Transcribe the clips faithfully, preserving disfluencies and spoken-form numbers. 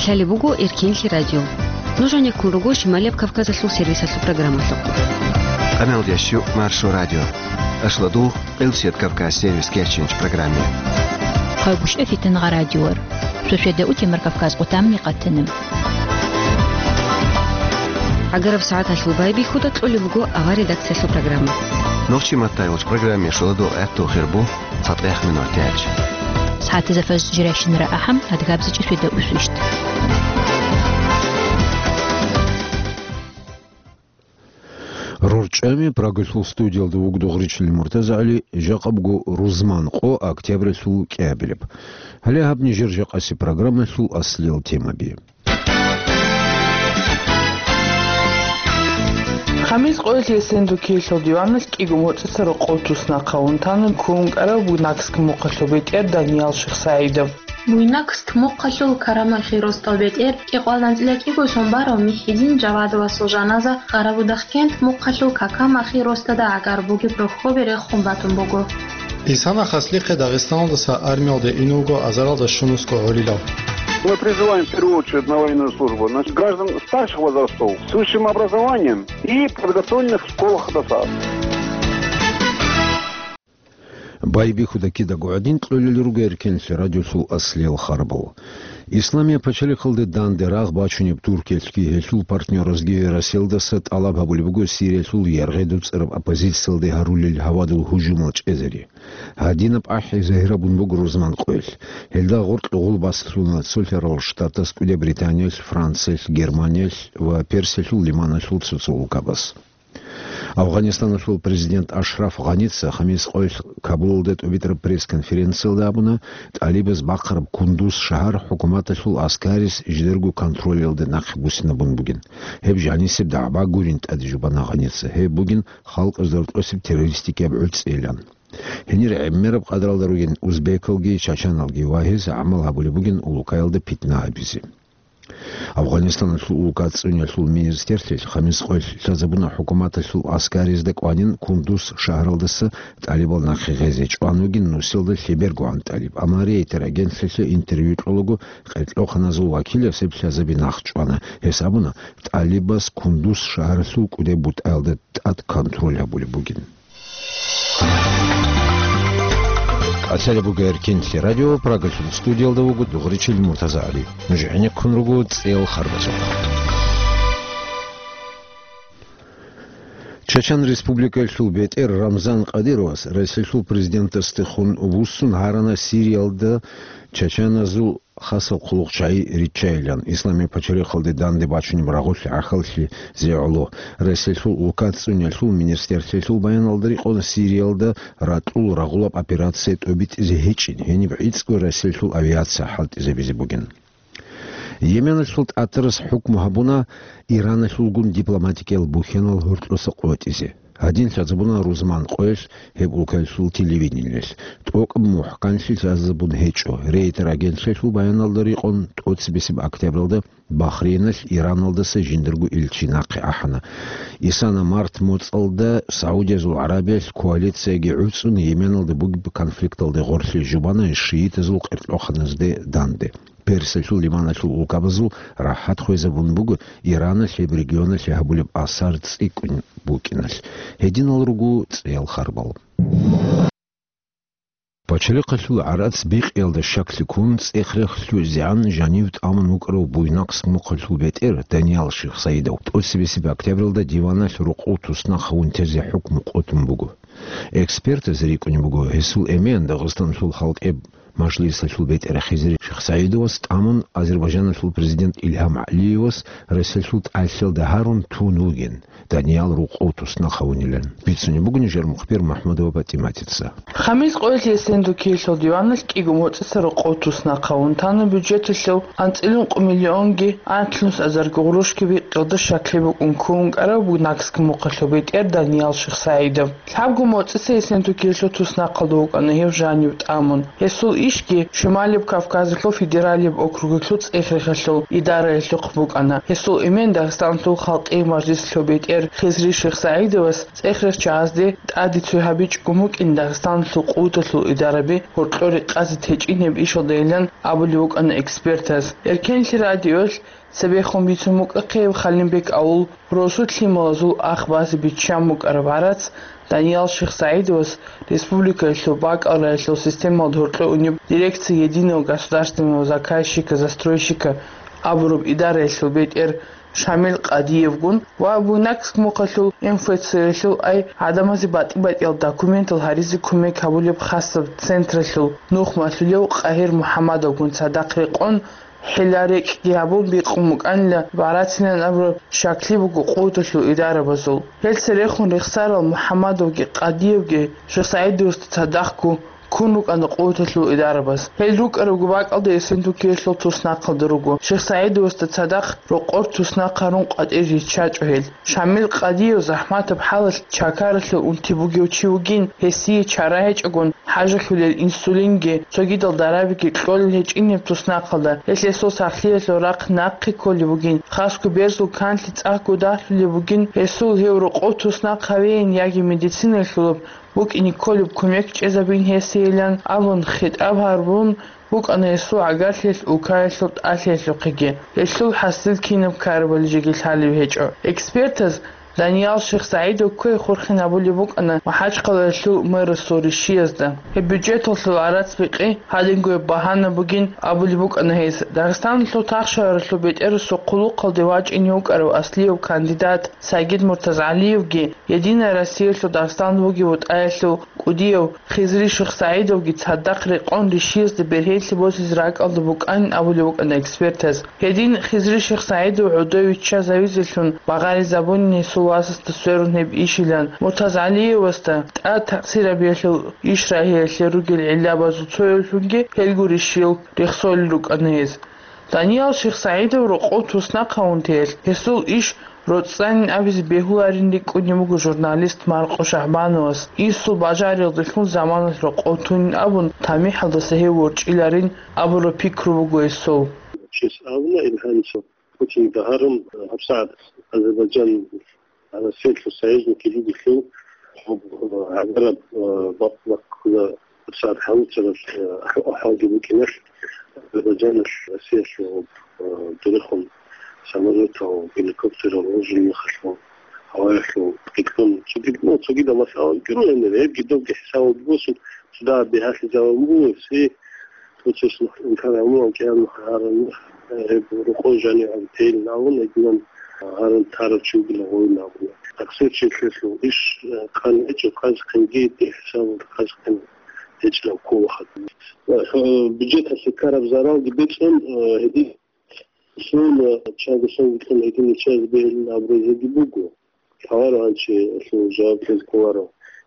Лъалеб буго Эркенлъи радио. Нуж гьанеккун руго Шималияб Кавказалъул сервисалъул программалъухъ. Къамелдящу Маршо радио. Ашладу Къилсият Кавказ сервис кечинч программе. Хъайбушев Фитнагъа радиор. Шошеда утемар Кавказ къутамни къатанам. ГӀагараб сагӀаталъул байбихьуда кьолеб буго авар редакциялъул программа. Нохчи Маттайолч программе шоладо гӀатту хирбу. ЦатӀехъ минуталъ. СагӀатизе фажр жирайщинара ахӀам, гьадгабзичӀи шведа усвищт. РорчӀами Прагалъул студиялда вугдугъричил МуртазагӀали, жакъабго рузман къо октябралъул кӀиабилеб. Гьале гьаб нижер жакъаси программалъул аслиял темаби. Хамис къоялъ Эсендукиялъул диваналъ кӀиго моцӀица рокъов туснахъ гьавун тана ккун вукӀарав Буйнакск мухъалъул бетӀер Даниял Шихсаидов. Буйнакск мухъалъул Карамахи ростал бетӀер кӀикъвалда анцӀила кӀиго сон барав Михьидин Жавадовасул жаназа Къарабудахъкент мухъалъул Какамахи ростада гӀагар бугеб рохьобе рехун батун буго. Исана хаслихъе Дагъистаналдаса армиялде ин вуго азаралда щунусго гӀолилав. Мы призываем в первую очередь на военную службу, значит, граждан старших возрастов с высшим образованием и подготовленных в школах до САС. Байбихьуда кидаго гӀадин кьолел руго Эркенлъи радиолъул аслиял харбал. Исламияб пачалихъалде данде рагъ бачунеб Туркиялъги гьелъул партнёразги Россиялдаса тӀалаб гьабулеб буго Сириялъул яргъи дуцӀараб оппозициялде гьарулел гьавадул гьужумал чӀезари. Гьадинаб ахӀи загьирабун буго рузман къоялъ. Гьелда гъоркь гъул баслъуна цолъарал штатас, КӀуди Британиялъ, Франциялъ, Германиялъ ва Персиялъул лиманалъул цоцо улкабаз. Афганистаналъул президент Ашраф Гъаница хамис къоялъ Кабулалда тӀубитӀараб пресс-конференциялда абуна, тӀалибаз бахъараб Кундуз шагьар хӀукуматалъул аскарис жидерго контролялда нахъе буссинабун бугин. Гьеб жанисеб дагӀба гурин тӀаде жубана Гъаница. Гьеб бугин халкъазда рокьосеб террористикияб гӀуцӀейилан. Гьенир гӀемераб къадралда ругин узбекалги чачаналги ва гьез гӀамал гьабулеб бугин улукаялда питна гьабизе. Афганистаналъул улка цӀунялъул министрлъи хамис къоялъ лъазабуна хӀукуматалъул аскаризда кӀванин Кундуз шагьаралдаса тӀалибал нахъе гъезе. ЧӀван вугин нусилда лъебергогӀан тӀалиб. Амма Рейтер агентлъилъа интервью кьолаго къеркьоханазул вакилас гьеб лъазаби нахъ чӀвана. Гьес абуна, тӀалибас Кундуз шагьаралъул кӀудеб бутӀаялда тӀад контроль гьабулеб бугин. Къацалеб буго Эркинлъи радио, Прагалъул студиялда вуго Дугъричил МуртазагӀали. Нуж гӀенеккун руго цӀел харбазухъ. Чачан Республикалъул бетӀер Рамзан Кадыровас Россиялъул президентасдехун вуссун гьарана Сириялда чачаназул хасаб хъулухъчагӀи риччайилан, Исламияб пачалихъалде данде бачунеб рагъулъи гӀахьаллъизе гӀоло. Россиялъул улка цӀунялъул министрлъиялъул баяналда рекъон Сириялда ракьул рагъулаб операция тӀобитӀизе гьечӀин, гьениб гӀицӀго Россиялъул авиация хӀалтӀизабизе бугин. Йеменалъул тӀатарас хӀукму гьабуна Ираналъулгун дипломатикиял бухьанал гьоркьоса къотӀизе. Гьадин лъазабуна рузман къоялъ гьеб улкалъул телевидениялъ. ТӀокӀаб мухӀканлъи лъазабун гьечӀо. Рейтер агентлъиялъул баяналда рекъон, тӀоцебесеб октябралда Бахрейналъ Ираналдаса жиндарго илчи нахъе ахӀана. Исана март моцӀалда Саудиязул ГӀарабиялъ коалицияги гӀуцӀун Йеменалда бугеб конфликталде гъорлъе жубана шиитазул къеркьоханазде данде. Персиялъул лиманалъул улкабазул рахӀат хвезабун буго Ираналъ гьеб регионалъе гьабулеб асар цӀикӀкӀун букӀиналъ. Гьединал руго цӀеял харбал. Пачалихъалъул гӀарац бикъиялда щаклъи ккун, цӀех-рех лъугӀизегӀан жанив тӀамун вукӀарав Буйнакск мухъалъул бетӀер Даниял Шихсаидов тӀоцебесеб октябралда диваналъ рокъов туснахъ гьавун тезе хӀукму къотун буго. Экспертаз рикӀкӀунеб буго, гьесул эмен Дагъистаналъул халкъи мажлисалъул бетӀер Хизри ШихсагӀидовас тӀамун, Азербайджаналъул президент Илгьам ГӀалиевас Россиялъул тӀалъиялда гьарун тун вугин, Даниял рокъов туснахъ гьавунилан. Бицунеб буго нижер мухбир МухӀмадова ПатӀиматица. Хамис къоялъ Эсендукиялъул диваналъ кӀиго моцӀица рокъов туснахъ гьавун тана бюджеталъул анцӀила ункъо миллионги анлънус азарго гъурущги бикъиялда щаклъи букӀун ккун вукӀарав Буйнакск мухъалъул бетӀер Даниял Шихсаидов. Лъабго моцӀица Эсендукиялъул туснахъалда вукӀана гьев жанив тӀамун. Гьесул Ишги Шималияб Кавказалъул федералияб округалъул цӀех-рехалъул идараялъухъ букӀана. Гьесул эмен Дагъистаналъул халкъияв мажлисалъул бетӀер Хизри Шихсагьидовас цӀех-рехчагӀазде тӀаде цой гьабичӀого букӀин Дагъистаналъул къуваталъул идараби гьоркьор рекъазе течӀин гьеб ишалдайилан абулеб букӀана экспертаз. Эркенлъи радиоялъ цебехун бицун букӀахъе гьеб Халимбек авул росу лъималазул ах базе биччан букӀараб гӀарац Даниял Шихсагьидовас республикаялъул бакӀал рагӀилъул системалда гьоркьо унеб дирекция Единого государственного заказчика-застройщика абураб идараялъул бетӀер Шамил Къадиевгун ва Буйнакск мухъалъул М Ф Ц-ялъул ай гӀадамазе батӀи-батӀиял документал гьаризе кумек гьабулеб хасаб централъул нух малъулев Къагьир МухӀаммадовгун цадахъ рекъон, хӀила-рекӀкӀги гьабун бикъун букӀанила гӀарацилан абураб щаклъи буго къуваталъул идарабазул. Гьел церехун рехсарал МухӀаммадовги Къадиевги Шихсагьидовасда цадахъго ккун рукӀана къуваталъул идарабаз. Гьел рукӀарабго бакӀалда Эсентукиялъул туснахъалда руго. Шихсагьидовасда цадахъ рокъор туснахъ гьарун къватӀир риччачӀо гьел. Шамил Къадиев захӀматаб хӀалалъ чакаралъув унти бугев чи вугин, гьесие чара гьечӀогун, хӀажалъулел инсулинги, цогидал дарабиги кьолел гьечӀин гьеб туснахъалда, гьелъ гьесул сахлъиялъул рахъ нахъе кколеб бугин, хасго берзул канлъи цӀакъго дагьлъулеб бугин, гьесул гьев рокъов туснахъ гьавейин яги медицинаялъулаб букӀине кколеб кумек чӀезабин гьесейилан абун хитӀаб гьарун букӀана гьесул гӀагарлъиялъ улкаялъул тӀалъиялъухъеги. Гьелъул хӀасил кинаб ккарабали жеги лъалеб гьечӀо. Экспертаз Даниял Шихсагьидов кквей хурхин абулеб букӀана МахӀачхъалаялъул мэрасул ришиязда. Гьеб бюджеталъул гӀарац бикъи гьадинго гьеб багьана бугин абулеб букӀана гьес. Дагъистаналъул тахшагьаралъул бетӀерасул хъулухъалде вачӀине вукӀарав аслияб кандидат Сагид МуртазгӀалиевги Единая Россиялъул Дагъистан вугев вутӀаялъул кӀудияв Хизри Шихсагьидовги цадахъ рекъон ришиязда бергьенлъи босизе ракӀалда букӀанин абулеб букӀана экспертаз. Гьедин Хизри Шихсагьидов гӀодов виччазавизелъун багъаризабунин гьесул васасда сверун гьеб ишилан, МуртазгӀалиевасда тӀад такъсирабиялъул иш рагьиялъе ругел гӀиллабазул цоявлъунги гьелгурищ жил рехсолел рукӀана гьез. Даниял Шихсагьидов рокъов туснахъ гьавун теялъ, гьесул иш роцӀцӀанин абизе бегьуларин рикӀкӀунеб буго журналист Маркъо Шагьбановас, инсул бажариялдалъун заманалъ рокъов тунин абун, тамихӀалдаса гьев ворчӀиларин абураб пикру буго гьесул. Чес абуна ил гьанже, Путин дагьарун, гьабсагӀат Азербайджан Россиялъул союзникги ругелъул, гьаб, гьабараб, э, бакъ-, бакъ-, гьабсагӀат гьавуцараб, э, ахӀ-, ахӀалги букӀиналъ, Азербайджаналъ Россиялъул, э, дурихъун самолетал, геликоптерал, гьужул мехалъул, гьаваялъул, гьикъун, цогид-, ну, цогидал масъалаги ругел, гьебги добги хӀисабалде босун, цо дагьаб бигьалъизабун буго, все. Цо чияс нух инкар гьабун, кӀияб нух гьарун, гьеб рокъов жанив гьаб тейилан абун, гьединан гьарун тарав чи вугилан гъовилан абуна. Таксир чилъелъул иш, э, къан гьечӀо, къазхъинги дихӀ хӀисабалда къазхъин гьечӀилан ккола хадуб. Э, бюджеталъе ккараб заралги бецӀун, э, гьедин сон, э, чанго сон вутлъун гьедин иччазе бегьилин абуризеги буго. Лъаларо гьанчи гьелъул жаваб кьезе кколаро.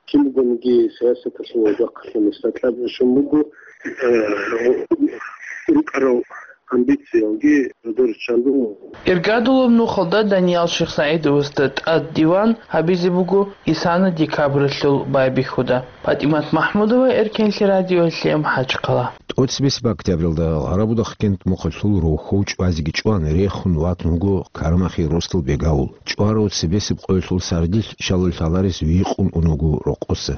Кин бугониги, сиясаталъул жакъалъе нилъеда кьаб щун буго, э, рукӀарал амбициялги додор чан буго. Иргадулаб нухалда Даниял Шихсагьидовасда тӀад диван гьабизе буго исана декабралъул байбихьуда. ПатӀимат МахӀмудова, Эркенлъи радиоялъе, МахӀачхъала. ТӀоцебесеб октябралда Къарабудахъкент мухъалъул рохьов чӀвазеги чӀван, рехун ватун вуго Карамахи росдал бегавул. ЧӀварав цебесеб къоялъул сардилъ щалал лъаларес вихъун ун вуго рокъоса.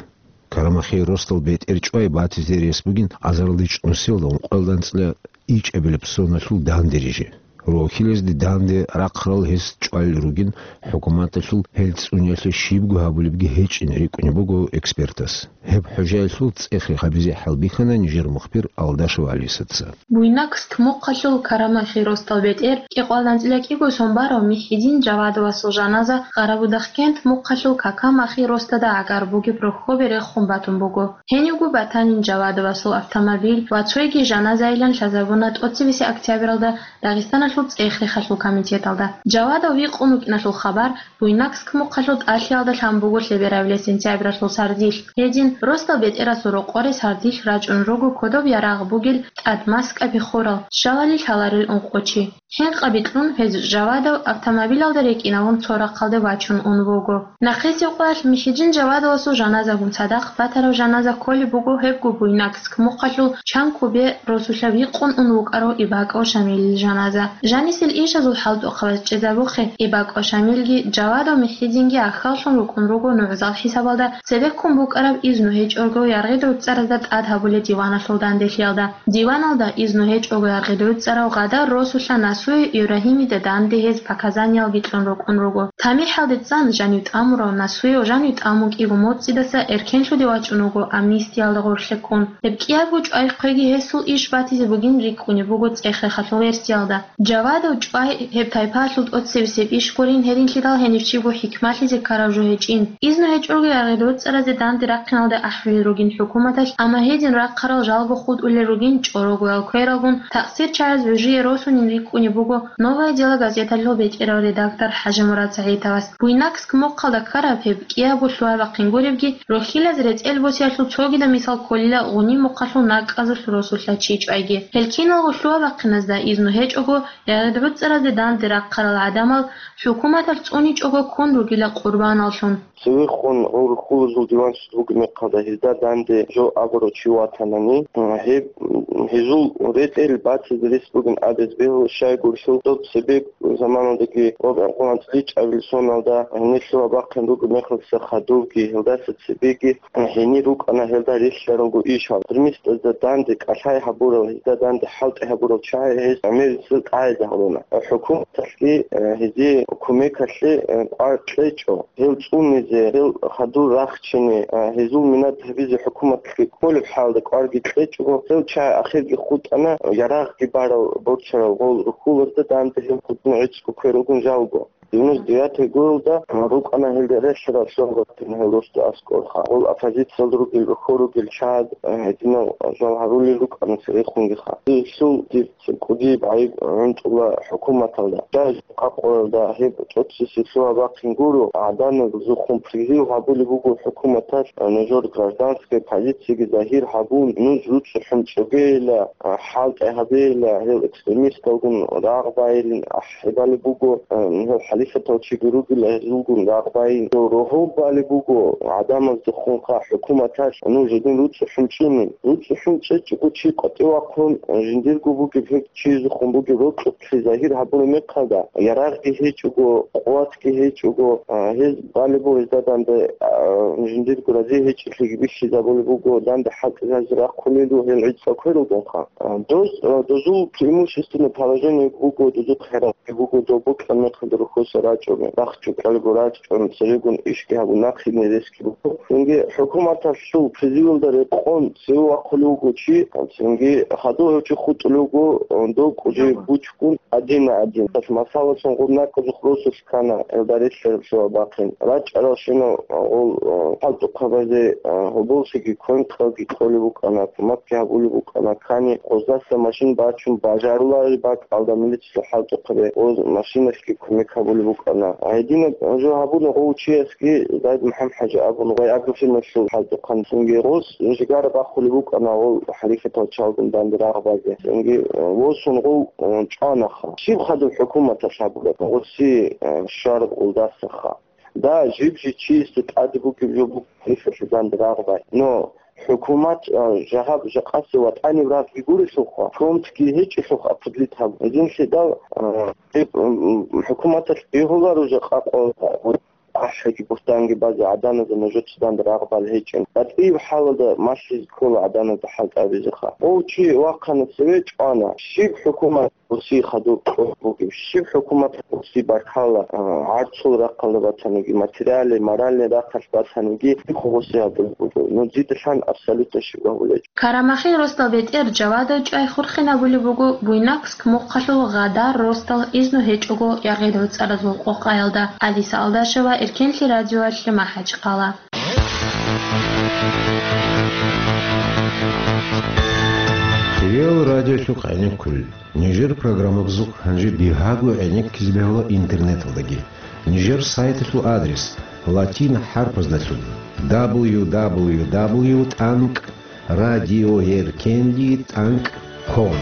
Карамахи росдал бетӀер чӀвай батизе рес бугин азарилда чӀунусиялда ункъоялда анцӀила ичӀабилеб соналъул данде рижи. Рохьилазде данде рахъарал гьес чӀвалел ругин, хӀукуматалъул гьел цӀуниялъе щибго гьабулебги гьечӀин рикӀкӀунеб буго экспертас. Гьеб хӀужаялъул цӀех-рех гьабизе хӀалбихьана нижер мухбир Алдашев Алисаца. Буйнакск мухъалъул Карамахи росдал бетӀер кӀикъоялда анцӀила кӀиго сон барав МухӀидин Жавадовасул жаназа Къарабудахъкент мухъалъул Какамахи росдада гӀагар бугеб рохьобе рехун батун буго. Гьенивго батанин Жавадовасул автомобиль ва цойги жаназайилан лъазабуна тӀоцебесеб октябралда Дагъистаналъул цӀех-рехалъул комитеталда. Жавадов вихъун вукӀиналъул хабар Буйнакск мухъалъул тӀалъиялда лъан буго лъеберабилеб сентябралъул сардилъ. Гьедин, росдал бетӀерасул рокъоре сардилъ рачӀун руго кодоб ярагъ бугел тӀад маскаби хурал, щалали лъаларел ункъо чи. ХӀинкъаби кьун, гьез Жавадов автомобилалда рекӀинавун цо рахъалде вачун ун вуго. Нахъисеб къоялъ МихӀидин Жавадовасул жаназагун цадахъ батараб жаназа кколеб буго гьебго Буйнакск мухъалъул Чанкубе росулъа вихъун ун вукӀарав Ибаков Шамилил жаназа. Жанисел ишазул хӀалтӀухъабаз чӀезабухъе, Ибаков Шамилги, Жавадов МихӀидинги ахьаллъун рукӀун руго нугӀзал хӀисабалда цебеккун букӀараб изну гьечӀого яргъи-дугӀцӀаразда тӀад гьабулеб диваналъул данделъиялда. Диваналда изну гьечӀого яргъи-дугӀцӀарав Гъадар росулъа Насуев Ибрагьимида данде гьез показаниялги кьун рукӀун руго. ТамихӀалде цӀан жанив тӀамурав Насуев жанив тӀамун кӀиго моцӀидаса эркенлъуде вачӀун вуго амнистиялда гъорлъе ккун. Гьеб кӀиябго чӀвай хъвеги гьесул иш батизе бугин рикӀкӀунеб буго цӀех-рехалъул версиялда. Жавадов чӀвай гьеб тайпаялъул тӀоцебесеб иш гурин, гьединлъидал гьенив чиго хӀикмалъизе ккарав жо гьечӀин. Изну гьечӀого яргъи-дугӀцӀаразе данде рахъиналда ахӀулел ругин хӀукуматалъ, амма гьедин рахъарал жалго хутӀулел ругин чӀорогоял квералгун, такъсирчагӀаз гӀужие росунин рикӀкӀунеб буго «Новое дело» газеталъул бетӀерав редактор ХӀажимурад СагӀитовас. Буйнакск мухъалда ккараб гьеб кӀиябго лъугьа-бахъин гуребги, рохьилаз рецӀел босиялъул цогидаб мисал кколила Гъуни мухъалъул накӀкӀазулъ росулъа чи чӀвайги. Гьел киналго лъугьа-бахъиназда изну гьечӀого, яргъи-дугӀцӀаразде данде рахъарал гӀадамал хӀукуматалъ цӀуничӀого ккун ругила къурбаналлъун. Цевехун гъов рухьулазул диванчид вугеб мехалда гьезда данде жо абурав чи ватанани, гьеб, гьезул ретӀел батизе рес бугин абиз бегьула, щайгурелъул доб цебе заманалдаги ва гӀинкъулан цӀличӀабил соналда гьенир лъугьа-бахъин ругеб мехалдаса хадубги, гьелдаса цебеги гьенир рукӀана гьелда релълъаралго ишал. Гьезул мисдазда данде кӀалъай гьабурал, гьезда данде хӀалтӀи гьабурал чагӀи гьез гӀемерисел тӀагӀизе гьавуна. ХӀукуматалъги, э, гьезие кумекалъе, э, кӀвар кьечӀо. Гьел цӀунизе, гьел хадур рахчине, э, гьезул минат гьабизе хӀукуматалъги кколеб хӀалда кӀварги кьечӀого, гьел чагӀи ахирги хутӀана, ярагъги барал борцарал гъол рухьулазда данде гьел хутӀун гӀицӀго квералгун жалго. Девяносто девятый гурелда рукӀана гьелда релълъарал лъугьа-бахъин гьел росда аскӀорха. Гъол оппозициялда ругел, рухьул ругел чагӀаз, э, гьединал жал гьарулел рукӀана церехунгиха. Гьелъул дир цӀикӀкӀуди бгӀайиб гӀунтӀула хӀукуматалда. Даже къакъоялда гьеб тӀоцесеб лъугьа-бахъин гуро, гӀадамазухъун призыв гьабулеб буго хӀукуматалъ, э, нужер гражданская позицияги загьир гьабун, нуж руцӀцӀухӀун чӀогейила, э, хӀалтӀи гьабейила, гьел экстремисталгун рагъ байилин ахӀи балеб буго, э, гьел хӀалихьатал чиги ругел гьезулгун рагъ байин. Гьел рогьоб балеб буго гӀадамаздехунха хӀукуматалъ нуж гьедин руцӀцӀухӀун чӀунин. РуцӀцӀухӀун чӀечӀого чи къватӀив вахъун, э, жиндирго бугеб гьеб чиясухъун бугеб рокьукълъи загьир гьабураб мехалда, ярагъги гьечӀого, къуватги гьечӀого, э, гьез балеб буго гьезда данде, э, жиндирго рази гьечӀелъиги бихьизабулеб буго, данде хӀалтӀизазе рахъулел руго гьел гӀицӀго квералгунха. Доз, дозул преимущественное положение буго, дозухъ хӀералги буго, доб бокьараб мехалда рухьуса рачӀун, бахчукьалго рачӀун, церегун ишги гьабун, нахъе нересги буго. Цинги хӀукуматалъул призывалда рекъон цеве вахъулев вуго чи, цинги хадув гьев чи хутӀулев вуго, дов кӀужи бучкун, один на один. Масалалъун, гъуб накӀкӀузухъ росулъ ккана, гьелда релълъараб лъугьа-бахъин. РачӀаралщинал гъол, э, хӀалтӀухъабазе, э, гьоболлъиги квен-кьалги кьолеб букӀана, кумакги гьабулеб букӀана, кани гъоздаса машин бачун бажарулареб бакӀалда милициялъул хӀалтӀухъабазе гъоз машиналъги кумек гьабулеб букӀана. Гьединаб жо гьабуна гъов чиясги, Зайд МухӀаммад-хӀажи абун, гъой агрофирмалъул хӀалтӀухъан. Цинги гъос жигара бахулеб букӀана гъол хӀалихьатал чалгун данде рагъ базе. Цинги, э, восун гъов, э, чӀванаха. Щиб хадуб хӀукуматалъ гьабураб? Гъоси, э, щвараб гъолдасаха. Да, жиб-жиб чиясда тӀаде бугеб жо буго гьелъулъ данде рагъ бай. Но хӀукумат, а, жагьаб жакъасе ватӀаниб рагъги гурелъулха, фронтги гьечӀелъулха определить гьабун. Гьединлъидал, а, гьеб, м, м, хӀукуматалъ бегьуларо жакъа къо-, ахӀиги бугьтанги базе гӀадамазда нужеца данде рагъ бал гьечӀин. БатӀияб хӀалалда малъизе ккола гӀадамазда хӀалтӀи гьабизеха. Гъов чи вахъана цеве, чӀвана. Щиб хӀукумат Гъоси хадуб кьураб бугеб, щиб хӀукумат гъоси баркала, а, гӀарцул рахъалда батаниги, материальный, моральный рахъалъ батаниги, гъоси гьабулеб буго. Ну, дида лъан абсолютно щиб гьабулеб. Карамахин росдал бетӀер Жавадов чӀвай хурхинабулеб буго Буйнакск мухъалъул Гъадар росдал изну гьечӀого яргъи-дугӀцӀаразул къокъаялда. Алиса Алдашева, Эркенлъи радиоялъе, МахӀачхъала. Реал радиолъухъ гӀенеккулел. Нижер программабазухъ гьанже бигьаго гӀенеккизе бегьула интернеталдаги. Нижер сайталъул адрес: латин хӀарпаздалъун: дабл ю дабл ю дабл ю тӀанкӀ радиоэркенлъи тӀанкӀ ком.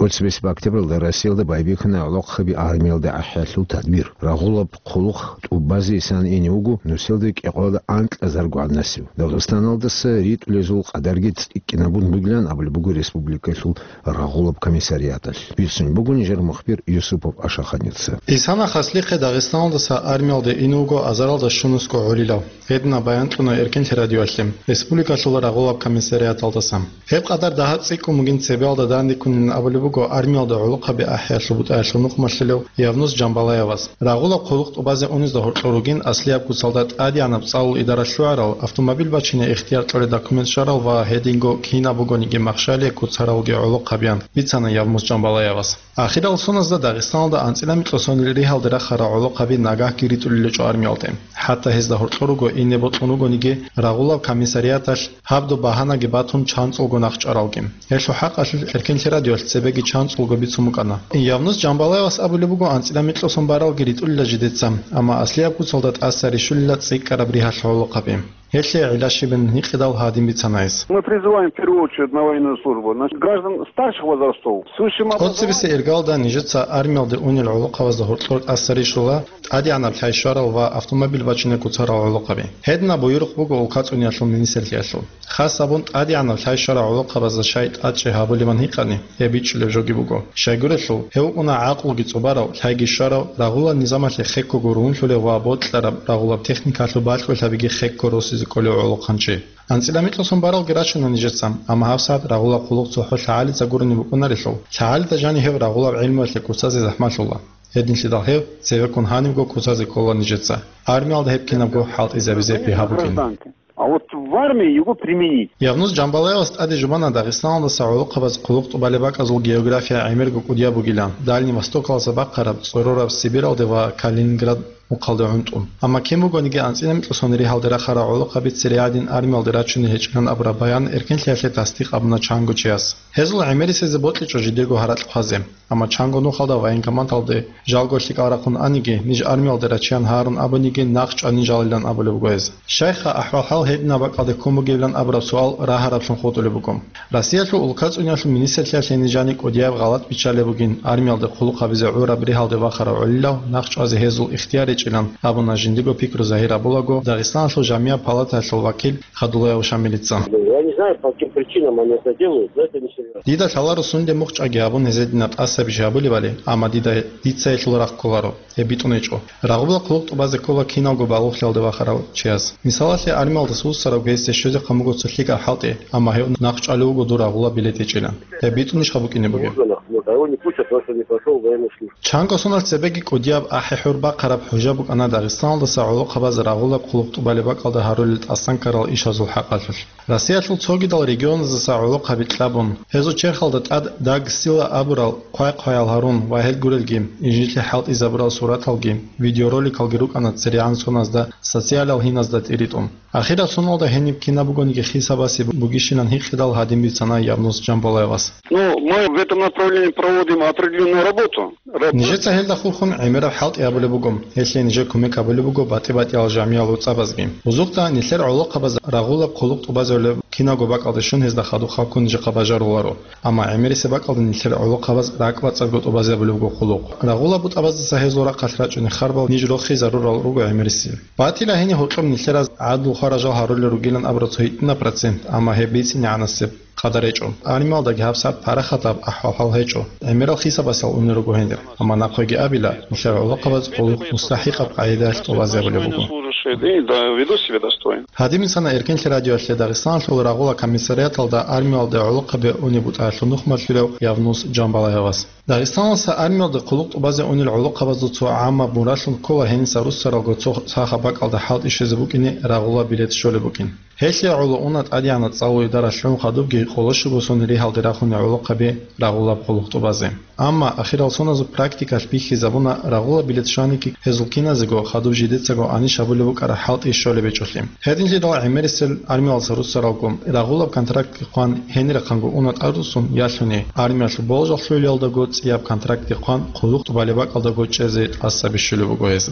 Оцебесеб октябралда Россиялда байбихьана гӀолохъаби армиялда ахӀиялъул тадбир. Рагъулаб хъулухъ тӀубазесан ине вуго нусилда кӀикъоялда анкьазарго гӀаднасив. Дагъистаналдаса ритӀулезул къадарги цӀикӀкӀинабун бугилан абулеб буго республикалъул рагъулаб комиссариаталъ. Бицун буго нижер мухбир Юсупов Ашаханица. Исана хаслихъе Дагъистаналдаса армиялде ин вуго азаралда щунусго гӀолилав. Гьедина баян кьуна Эркенлъи радиоялъе республикалъул рагъулаб комиссариаталдаса. Гьеб къадар дагьаб цӀикӀкӀун бугин цебеялда дандеккунин абулеб буго армиялда гӀолохъаби ахӀиялъул бутӀаялъул нухмалъулев Явнус Жамбалаевас. Рагъулаб хъулухъ тӀубазе унезда гьоркьор ругин аслияб куцалда тӀадегӀанаб цӀалул идаралъ лъугӀарал автомобиль бачине ихтияр кьолел документ щварал ва гьединго кинаб бугониги махщалие куцаралги гӀолохъабиян, бицана Явнус Жамбалаевас. Ахирал соназда Дагъистаналда анцӀила микьго сонил ригьалде рахарал гӀолохъаби нагагьги ритӀулел гьечӀо армиялде. ХӀатта гьезда гьоркьор руго, ине бокьун ругониги, рагъулаб комиссариаталъ гьаб-доб багьанаги батун чанцӀулго нахъ чӀаралги. Гьелъул хӀакъалъулъ Эркенлъи радиоялъ цебеги чанцӀулго бицун букӀана. Явнус Жамбалаевас абулеб буго анцӀила микьго сон баралги ритӀулила жидеца, амма аслияб куцалда тӀаса рищулила цӀикӀкӀараб ригьалъ гӀолохъаби. Гьелъие гӀилла щибин гьикъидал гьадин бицана гьес. Мы призываем в первую очередь на военную службу, значит, граждан старших возрастов, с высшим образованием. Цебесе иргалда нижеца армиялде унел гӀолохъабазда гьоркьор тӀаса рищула тӀадегӀанаб лъай щварал ва автомобиль бачине куцарал гӀолохъаби. Гьединаб буюрухъ буго улкацӀуниялъул министрлъиялъул. Хас абун тӀадегӀанаб лъай щварал гӀолохъабазда щай тӀадчӀей гьабулебан гьикъани, гьеб бичӀчӀулеб жоги буго. Щайгурелъул, гьев вукӀуна гӀакълуги цӀубарав, лъайги щварав, рагъулал низамалъе хеккого ругьунлъулев ва бокьараб рагъулаб техникалъул бакьулъабиги хекко росизе кколев гӀолохъанчи. АнцӀила микьго сон баралги рачана нижеца, амма гьабсагӀат рагъулаб хъулухъ цохӀо лъагӀалица гурони букӀунарелъул, лъагӀалида жанив гьев рагъулаб гӀелмуялъе куцазе захӀмалъула. Гьединлъидал гьев цевеккун гьанибго куцазе ккола нижеца. Армиялда гьеб кинабго хӀалтӀизабизе бигьа букӀин. А вот в армии его применить. Явнус Жамбалаевас тӀаде жубана Дагъистаналдаса гӀолохъабаз хъулухъ тӀубалеб бакӀазул география гӀемерго кӀудияб бугилан, Дальний Востокалдаса бахъараб, цӀорораб Сибиралде ва Калининград мухъалде гӀунтӀун. Амма кин бугониги анцӀила микьго сон ригьалде рахарал гӀолохъаби цере гӀадин армиялде рачуней гьечӀилан абураб баян Эркенлъиялъе тасдикъ абуна чанго чияс. Гьезул гӀемерисезе бокьичӀо жидего гьаракь хъвазе. Амма чанго нухалда военкоматалде жалго лъикӀал рахъун аниги, ниж армиялде рачеян гьарун абуниги, нахъ чӀванин жалилан абулеб буго гьез. Щайха, ахӀвал-хӀал гьединаб бакӀалде ккун бугебилан абураб суал рагьарабцин хутӀулеб буго. Россиялъул улкацӀуниялъул министрлъиялъе нижани кӀудияб гъалатӀ биччалеб бугин, армиялде хъулухъ гьабизе гӀураб ригьалде вахарав гӀолилав нахъ чӀвазе гьезул ихтияр гьечӀилан абуна жиндиго пикру загьир гьабулаго Дагъистаналъул жамияб палатаялъул вакил Хадулаев Шамилица. Я не знаю, по каким причинам они это делают, но это несерьезно. Дида лъаларо сунде мухъ чӀаги гьабун гьезединаб тӀасабищ гьабулебали, амма дида, дица гьелъул рахъ кколаро, гьеб битӀун гьечӀо. Рагъуба хъулухъ тӀубазе ккола киналго балугълъиялде вахарав чияс. Мисалалъе, армиялдаса вуссарав гьесде щвезе хъамуго цо лъикӀаб хӀалтӀи, амма гьев нахъ чӀвалев вуго дур рагъуба билет гьечӀилан. Гьеб битӀунищха букӀине бугеб? Можно, но кого не пустят, потому что не прошёл военную службу. Чанго соналъ цебеги кӀудияб ахӀи-хӀур бахъараб хӀужа букӀана Дагъистаналдаса гӀолохъабаз рагъулаб хъулухъ тӀубалеб бакӀалда гьарулел тӀасанккарал ишазул хӀакъалъулъ. Россиялъул цогидал регионаздаса гӀолохъаби кьабун, гьезул черхалда тӀад Даг Сила абурал хъвай-хъваял гьарун ва гьел гурелги, инжитлъи хӀалтӀизабурал сураталги, видеороликалги рукӀана церегӀан соназда социалал гьиназда тӀиритӀун. Ахирал соналда гьениб кинаб бугониги хисабасе бугищилан гьикъидал гьадин бицана Явнус Жамбалаевас. Ну, мы в этом направлении проводим определённую работу. Раб- Нижеца гьелда хурхун гӀемераб хӀалтӀи гьабулеб буго. Гьелъие нижер кумек гьабулеб буго батӀи-батӀиял жамиял гӀуцӀабазги. Бузухъда нилъер гӀолохъабаз рагъулаб хъулухъ тӀубазарулеб киналго бакӀалде щун гьезда хадуб халкун нижехъа бажаруларо. Амма гӀемерисеб бакӀалда нилъер гӀолохъабаз ракӀбацӀцӀадго тӀубазабулеб буго хъулухъ. Рагъулаб бутӀабаздаса гьезул рахъалъ рачӀунел харбал ниж рохизарурал руго гӀемерисел. Батила гьениб гьоркьоб нилъераз гӀадлу хваражал гьарулел ругилан абураб цо гьитӀинаб процент, амма гьеб бицинегӀанасеб къадар гьечӀо. Армиялдаги гьабсагӀат парахатаб ахӀвал-хӀал гьечӀо. ГӀемерал хисабасал унел руго гьенир. Амма нахъеги абила, нилъер гӀолохъабаз хъулухъ мустахӀикъаб къагӀидаялъ тӀубазабулеб буго. Служащие, да, да, ведут себя достойно. Гьадин бицана Эркенлъи радиоялъе Дагъистаналъул рагъула комиссариаталда армиялде гӀолохъаби унеб бутӀаялъул нухмалъулев Явнус Жамбалаевас. Дагъистаналдаса армиялде хъулухъ тӀубазе унел гӀолохъабазул цо гӀаммаб мураллъун ккола гьениса руссаралго цо сахаб бакӀалда хӀалтӀи щвезе букӀине рагъула билет щолеб букӀин. Гьелъие гӀоло уна тӀадегӀанаб цӀалул идаралъ лъун хадубги къоло щуго сон ригьалде рахунел гӀолохъаби рагъулаб хъулухъ тӀубазе. Амма ахирал соназул практикалъ бихьизабуна рагъула билет щваниги гьезул киназего хадуб жидецаго анищ гьабулеб букӀараб хӀалтӀи щолеб гьечӀолъи. Гьединлъидал гӀемерисел армиялдаса руссаралго рагъулаб контрактги хъван гьенирахъанго уна тӀадвуссун ялъуни, армиялъул болжал лъугӀулелдаго цӀияб контрактги хъван хъулухъ тӀубалеб бакӀалдаго чӀезе тӀаса бищулеб буго гьез.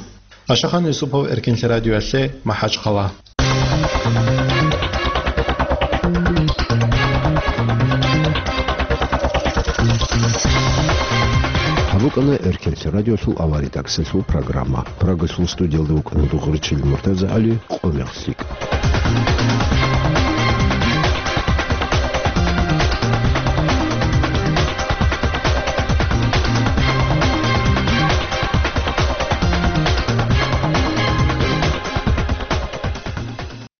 Ашахан Юсупов, Эркенлъи радиоялъе, МахӀачхъала. КӀана Эркенлъи радиолъул авария тӀакӀсалъул программа. Прагалъул студиялда вукӀана Дугъричил МуртазагӀали, къо мехлъи.